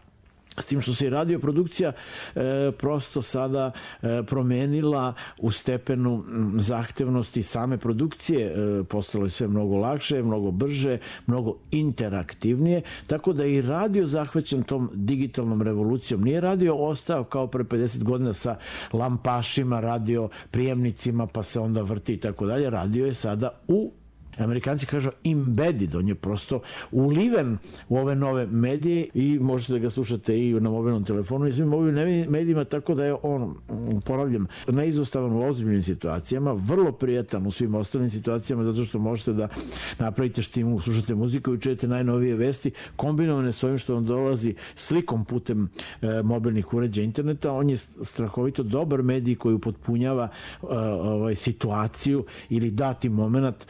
s tim što se i radioprodukcija e, prosto sada e, promenila u stepenu zahtevnosti same produkcije, e, postalo je sve mnogo lakše, mnogo brže, mnogo interaktivnije, tako da i radio zahvaćen tom digitalnom revolucijom. Nije radio ostao kao pre pedeset godina sa lampašima, radio prijemnicima, pa se onda vrti i tako dalje. Radio je sada u Amerikanci kažu embedded, on je prosto uliven u ove nove medije i možete da ga slušate i na mobilnom telefonu i svim mobilnim medijima, tako da je on, ponavljam, neizostavan u ozbiljnim situacijama, vrlo prijatan u svim ostalim situacijama, zato što možete da napravite štimu, slušate muziku i čujete najnovije vesti, kombinovane s ovim što vam dolazi slikom putem e, mobilnih uređaja interneta. On je strahovito dobar medij koji upotpunjava e, ovaj, situaciju ili dati moment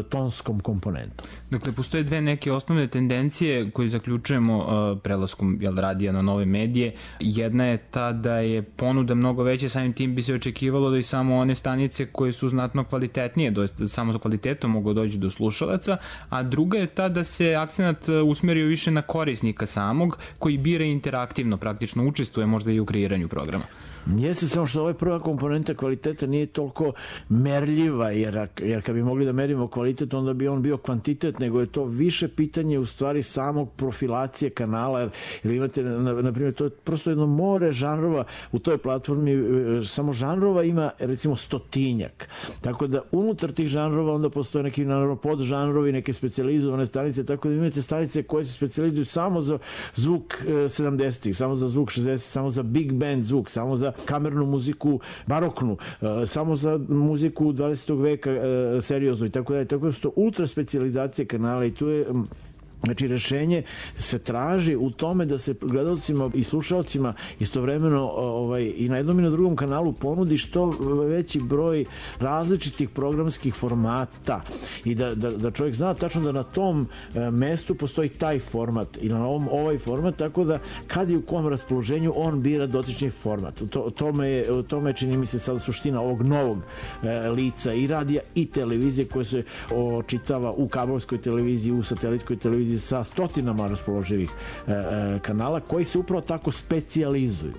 tonskom komponentom. Dakle, postoje dve neke osnovne tendencije koje zaključujemo uh, prelaskom jel, radija na nove medije. Jedna je ta da je ponuda mnogo veća, samim tim bi se očekivalo da i samo one stanice koje su znatno kvalitetnije, da samo za kvalitetom mogu doći do slušalaca, a druga je ta da se akcenat usmerio više na korisnika samog, koji bira interaktivno, praktično učestvuje možda i u kreiranju programa. Jeste, samo što ova prva komponenta kvaliteta nije toliko merljiva, jer, jer kad bi mogli da merimo kvalitet, onda bi on bio kvantitet, nego je to više pitanje u stvari samog profilacije kanala, jer, jer imate, na, na primjer, to je prosto jedno more žanrova u toj platformi, samo žanrova ima recimo stotinjak, tako da unutar tih žanrova onda postoje neki naravno podžanrovi, neke specijalizovane stanice, tako da imate stanice koje se specijalizuju samo za zvuk sedamdesetih, samo za zvuk šezdesetih, samo za big band zvuk, samo za kamernu muziku baroknu, samo za muziku dvadesetog veka seriozno i tako dalje. Tako da su to ultra specijalizacije kanala i tu je Znači, rešenje se traži u tome da se gledalcima i slušalcima istovremeno ovaj, i na jednom i na drugom kanalu ponudi što veći broj različitih programskih formata i da, da, da čovjek zna tačno da na tom e, mestu postoji taj format i na ovom ovaj format, tako da kad i u kom raspoloženju on bira dotični format. To, tome, je, tome čini mi se sada suština ovog novog e, lica i radija i televizije koje se očitava u kablovskoj televiziji, u satelitskoj televiziji sa stotinama raspoloživih e, e, kanala koji se upravo tako specijalizuju.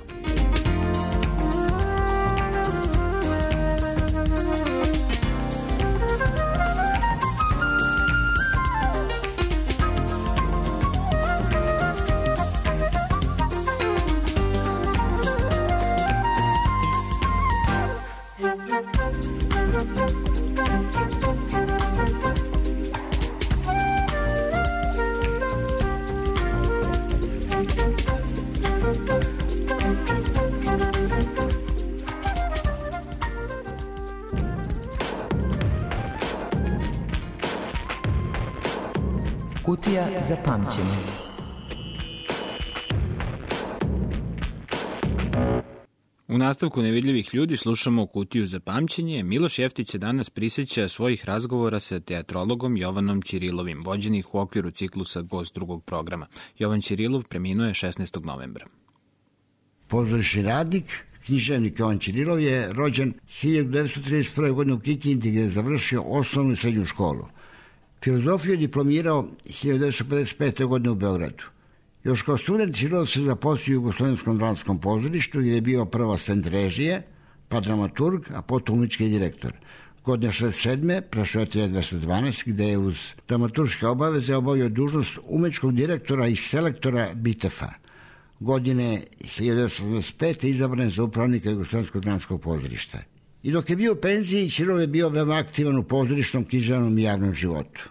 Kutija za pamćenje. U nastavku Nevidljivih ljudi slušamo Kutiju za pamćenje. Miloš Jeftić se danas prisjeća svojih razgovora sa teatrologom Jovanom Ćirilovim, vođenih u okviru ciklusa Gost drugog programa. Jovan Ćirilov preminuo je šesnaestog novembra. Pozorišni radnik, književnik Jovan Ćirilov je rođen hiljadu devetsto trideset prve. godine u Kikindi, gdje je završio osnovnu i srednju školu. Filozofiju je diplomirao hiljadu devetsto pedeset pete. godine u Beogradu. Još kao student Ćirilov se zaposlio u Jugoslovenskom dramskom pozorištu, gdje je bio prvo asistent režije, pa dramaturg, a potom umetnički direktor. Godine šezdeset sedme prešao je T dvesta dvanaest gde je uz dramaturške obaveze obavio dužnost umetničkog direktora i selektora Bitefa. Godine hiljadu devetsto osamdeset pete izabran je za upravnika Jugoslovenskog dramskog pozorišta. I dok je bio u penziji, Ćirov je bio veoma aktivan u pozorišnom, književnom i javnom životu.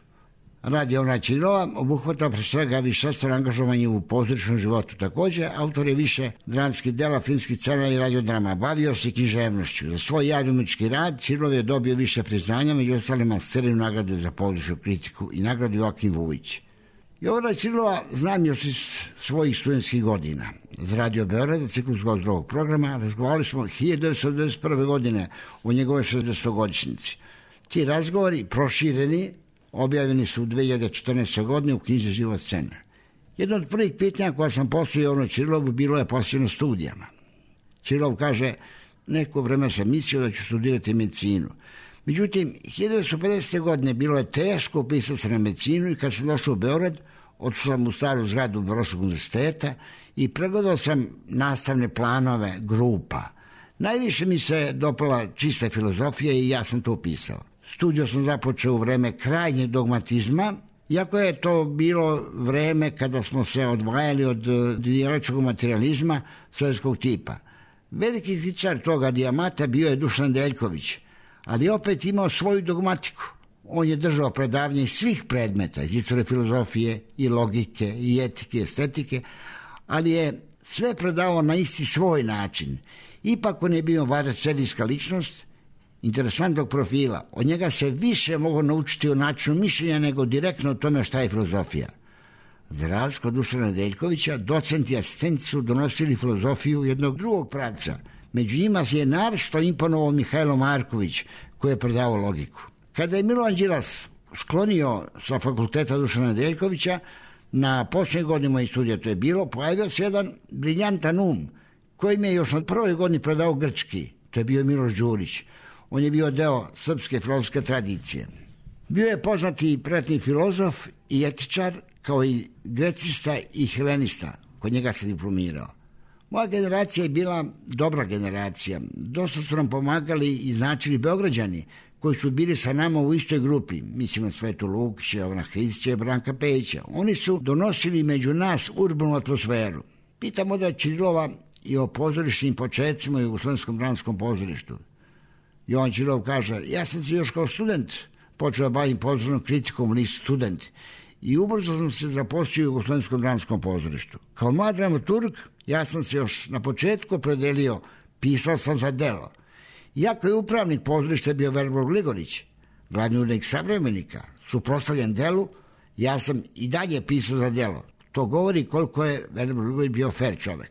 Radio Ona Ćirova obuhvata pre svega višestrano angažovanje u pozorišnom životu. Takođe, autor je više dramskih dela, filmskih scena i radiodrama. Bavio se književnošću. Za svoj javni umetnički rad Ćirov je dobio više priznanja, među ostalima Scerinu nagradu za pozorišnu kritiku i nagradu Joakim Vujić. Jovana Ćirova znam još iz svojih studentskih godina. Za Radio Beograd, ciklus Gozdrovog programa, razgovarali smo hiljadu devetsto devedeset prve. godine o njegove šezdesetogodišnjici. Ti razgovori, prošireni, objavljeni su u dve hiljade četrnaestoj. godine u knjizi Život scene. Jedno od prvih pitanja koja sam postavio Jovanu Ćirilovu bilo je posvećeno studijama. Ćirilov kaže, neko vreme sam mislio da ću studirati medicinu. Međutim, hiljadu devetsto pedesete. godine bilo je teško upisati se na medicinu i kad sam došao u Beograd, otišao sam u staru zgradu Beogradskog univerziteta i pregledao sam nastavne planove grupa. Najviše mi se dopala čista filozofija i ja sam to upisao. Studiju sam započeo u vreme krajnjeg dogmatizma, iako je to bilo vreme kada smo se odvajali od dijaločkog materializma sovjetskog tipa. Veliki kritičar toga dijamata bio je Dušan Deljković, ali opet imao svoju dogmatiku. On je držao predavanje svih predmeta, iz istorije filozofije i logike i etike i estetike, ali je sve predavao na isti svoj način. Ipak on je bio vareserijska ličnost, interesantnog profila. Od njega se više mogu naučiti o načinu mišljenja nego direktno o tome šta je filozofija. Za razliku od Dušana Deljkovića, docenti i asistenti su donosili filozofiju jednog drugog pravca. Među njima je naročito imponovao Mihajlo Marković, koji je predavao logiku. Kada je Milovan Đilas sklonio sa fakulteta Dušana Deljkovića, na posljednjoj godini mojih studija to je bilo, pojavio se jedan briljantan um, kojim je još na prvoj godini predao grčki. To je bio Miloš Đurić. On je bio deo srpske filozofske tradicije. Bio je poznati pretni filozof i etičar, kao i grecista i helenista. Kod njega se diplomirao. Moja generacija je bila dobra generacija. Dosta su nam pomagali i značili Beograđani, koji su bili sa nama u istoj grupi. Mislim na Svetu Lukića, Jovana Hristića i Branka Pejića. Oni su donosili među nas urbanu atmosferu. Pitamo da Ćirilova i o pozorišnim početcima u Jugoslovenskom dramskom pozorištu. Jovan Ćirilov kaže, ja sam se još kao student počeo da bavim pozorišnom kritikom, nisu student. I ubrzo sam se zaposlio u Jugoslovenskom dramskom pozorištu. Kao mlad dramaturg, ja sam se još na početku opredelio, pisao sam za delo. Iako je upravnik pozorišta bio Velibor Gligorić, glavni urednik Savremenika, suprotstavljen delu, ja sam i dalje pisao za delo. To govori koliko je Velibor Gligorić bio fair čovek.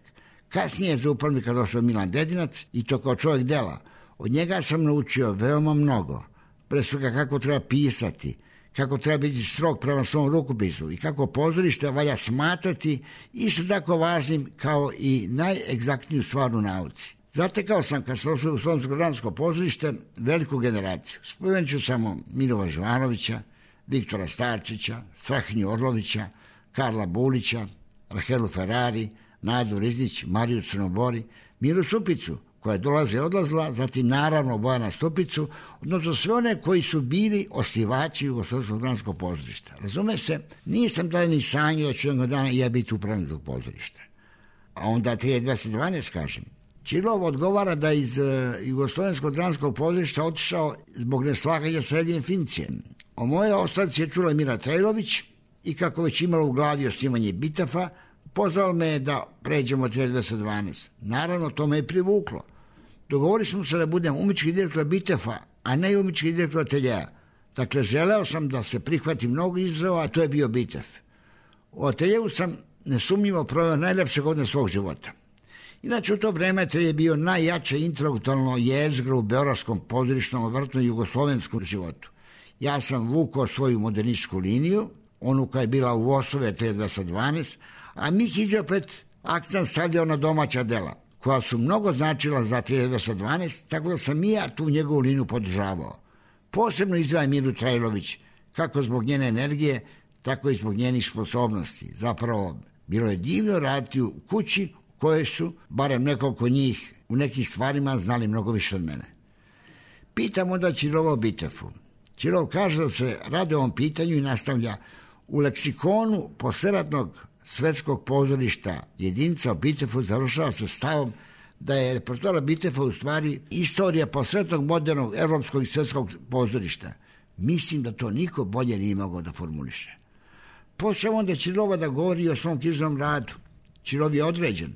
Kasnije je za upravnika došao Milan Dedinac i to kao čovjek dela. Od njega sam naučio veoma mnogo. Pre svega kako treba pisati, kako treba biti strog prema svom rukopisu i kako pozorište valja smatrati isto tako važnim kao i najegzaktniju stvar u nauci. Zatekao sam, kad sam došao u Slovensko dramsko pozorište, veliku generaciju. Spomenut ću samo Milova Živanovića, Viktora Starčića, Strahinju Orlovića, Karla Bulića, Rahelu Ferrari, Nadu Riznić, Mariju Crnobori, Miru Supicu, koja je dolaze i odlazila, zatim naravno Bojana Stupicu, odnosno sve one koji su bili osnivači Jugoslovenskog dramskog pozorišta. Razume se, nisam da ni sanjao da ću jednog dana i ja biti upravnik tog pozorišta. A onda hiljadu dvesta dvanaest kažem. Ćirilov odgovara da iz uh, Jugoslovenskog dramskog pozorišta otišao zbog neslaganja sa Elvijem Fincijem. O moje ostavci je čula Mira Trajlović i kako već imala u glavi osnivanje Bitefa, pozvao me da pređemo od hiljadu dvesta dvanaest. Naravno, to me je privuklo. Dogovorili smo se da budem umetnički direktor Bitefa, a ne umetnički direktor ateljeja. Dakle, želeo sam da se prihvati mnogo izazova, a to je bio Bitef. U ateljeju sam nesumnjivo proveo najlepše godine svog života. Inače, u to vreme atelje je bio najjače intelektualno jezgro u beogradskom pozorišnom, vrtno jugoslovenskom životu. Ja sam vukao svoju modernističku liniju, onu koja je bila u osnovi hiljadu dvesta dvanaest, a Mihić je opet akcent stavljao na domaća dela, koja su mnogo značila za hiljadu dvesta dvanaest, tako da sam i ja tu njegovu liniju podržavao. Posebno izdvajam Miru Trajlović, kako zbog njene energije, tako i zbog njenih sposobnosti. Zapravo, bilo je divno raditi u kući koje su, barem nekoliko njih, u nekih stvarima znali mnogo više od mene. Pitam onda Ćirova o Bitefu. Ćirov kaže da se radi o ovom pitanju i nastavlja: u leksikonu posleratnog svetskog pozorišta jedinica o Bitefu završava se stavom da je repertoar Bitefa u stvari istorija posleratnog modernog evropskog i svetskog pozorišta. Mislim da to niko bolje nije mogao da formuliše. Počeo onda Ćirova da govori o svom knjižnom radu. Ćirov je određen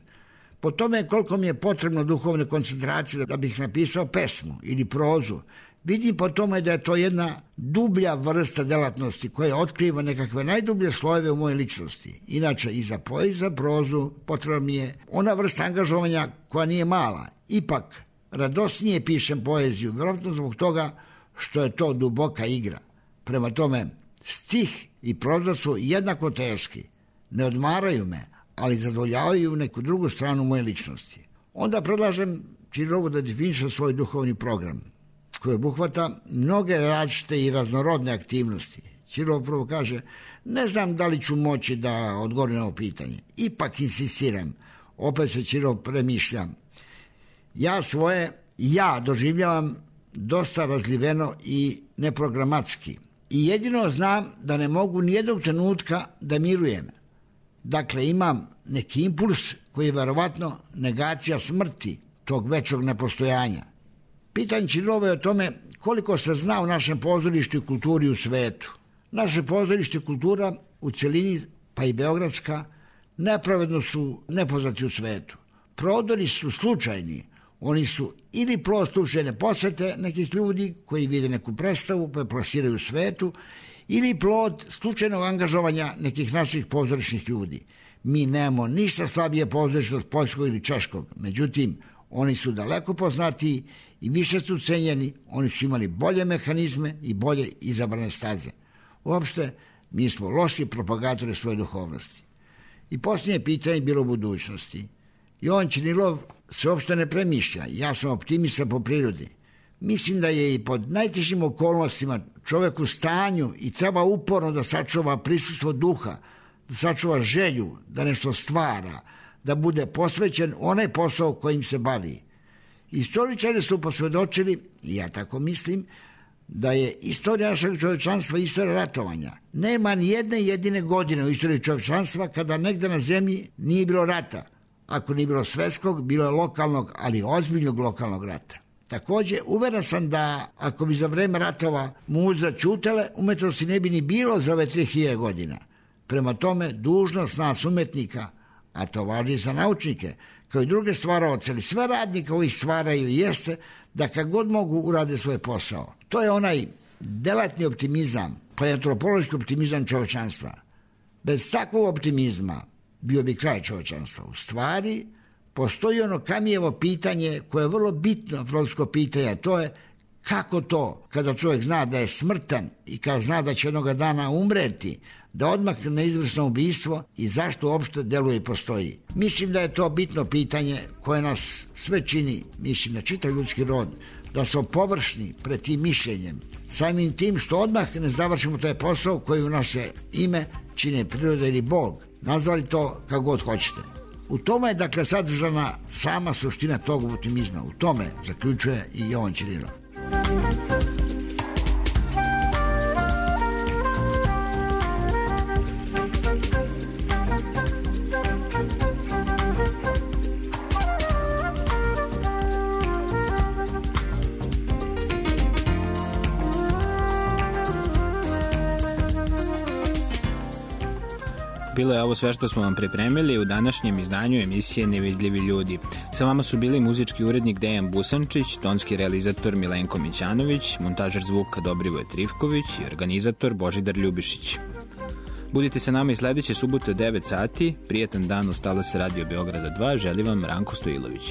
po tome koliko mi je potrebno duhovne koncentracije da bih napisao pesmu ili prozu. Vidim po tome da je to jedna dublja vrsta delatnosti koja otkriva nekakve najdublje slojeve u mojoj ličnosti. Inače, i za poeziju i za prozu potrebna mi je ona vrsta angažovanja koja nije mala. Ipak, radosnije pišem poeziju, vjerojatno zbog toga što je to duboka igra. Prema tome, stih i proza su jednako teški. Ne odmaraju me, ali zadovoljavaju neku drugu stranu moje ličnosti. Onda predlažem Ćirovu da definiše svoj duhovni program, koji obuhvata mnoge različite i raznorodne aktivnosti. Ćirov prvo kaže: ne znam da li ću moći da odgovorim na ovo pitanje. Ipak insistiram. Opet se Ćirov premišlja. Ja svoje ja doživljavam dosta razliveno i neprogramatski. I jedino znam da ne mogu nijednog trenutka da mirujem. Dakle, imam neki impuls koji je verovatno negacija smrti tog većog nepostojanja. Pitanje Ćirova je o tome koliko se zna u našem pozorištu i kulturi u svetu. Naše pozorište i kultura u celini, pa i beogradska, nepravedno su nepoznati u svetu. Prodori su slučajni. Oni su ili plod slučajne posete nekih ljudi koji vide neku predstavu pa je plasiraju u svetu, ili plod slučajnog angažovanja nekih naših pozorišnih ljudi. Mi nemamo ništa slabije pozorište od poljskog ili češkog. Međutim, oni su daleko poznatiji i više su cenjeni, oni su imali bolje mehanizme i bolje izabrane staze. Uopšte, mi smo loši propagatori svoje duhovnosti. I posljednje pitanje je bilo u budućnosti. Jovan Ćirilov se uopšte ne premišlja. Ja sam optimista po prirodi. Mislim da je i pod najtežim okolnostima čovek u stanju i treba uporno da sačuva prisustvo duha, da sačuva želju, da nešto stvara, da bude posvećen onaj posao kojim se bavi. Istoričari su posvedočili, i ja tako mislim, da je istorija našeg čovječanstva istorija ratovanja. Nema ni jedne jedine godine u istoriji čovječanstva kada negde na zemlji nije bilo rata. Ako nije bilo svetskog, bilo je lokalnog, ali ozbiljnog lokalnog rata. Takođe, uveren sam da ako bi za vreme ratova muze ćutele, umetnosti ne bi ni bilo za ove tri hiljade godina. Prema tome, dužnost nas umetnika, a to važi za naučnike, kao i druge stvaraoce, ali sve radnike koji stvaraju jeste da kad god mogu urade svoj posao. To je onaj delatni optimizam, pa je antropološki optimizam čovečanstva. Bez takvog optimizma bio bi kraj čovečanstva. U stvari, postoji ono Kamijevo pitanje koje je vrlo bitno filozofsko pitanje, a to je kako to kada čovjek zna da je smrtan i kada zna da će jednog dana umreti, da odmah na izvršno ubistvo i zašto uopšte deluje i postoji. Mislim da je to bitno pitanje koje nas sve čini, mislim na čitav ljudski rod, da smo površni pred tim mišljenjem, samim tim što odmah ne završimo taj posao koji u naše ime čine priroda ili Bog. Nazvali to kako god hoćete. U tome je dakle sadržana sama suština tog optimizma. U tome zaključuje i Jovan Ćirilov. Bilo je ovo sve što smo vam pripremili u današnjem izdanju emisije Nevidljivi ljudi. Sa vama su bili muzički urednik Dejan Busančić, tonski realizator Milenko Mićanović, montažer zvuka Dobrivoje Trivković i organizator Božidar Ljubišić. Budite sa nama i sledeće subote devet sati. Prijetan dan, ostala se Radio Beograda dva, želi vam Ranko Stojilović.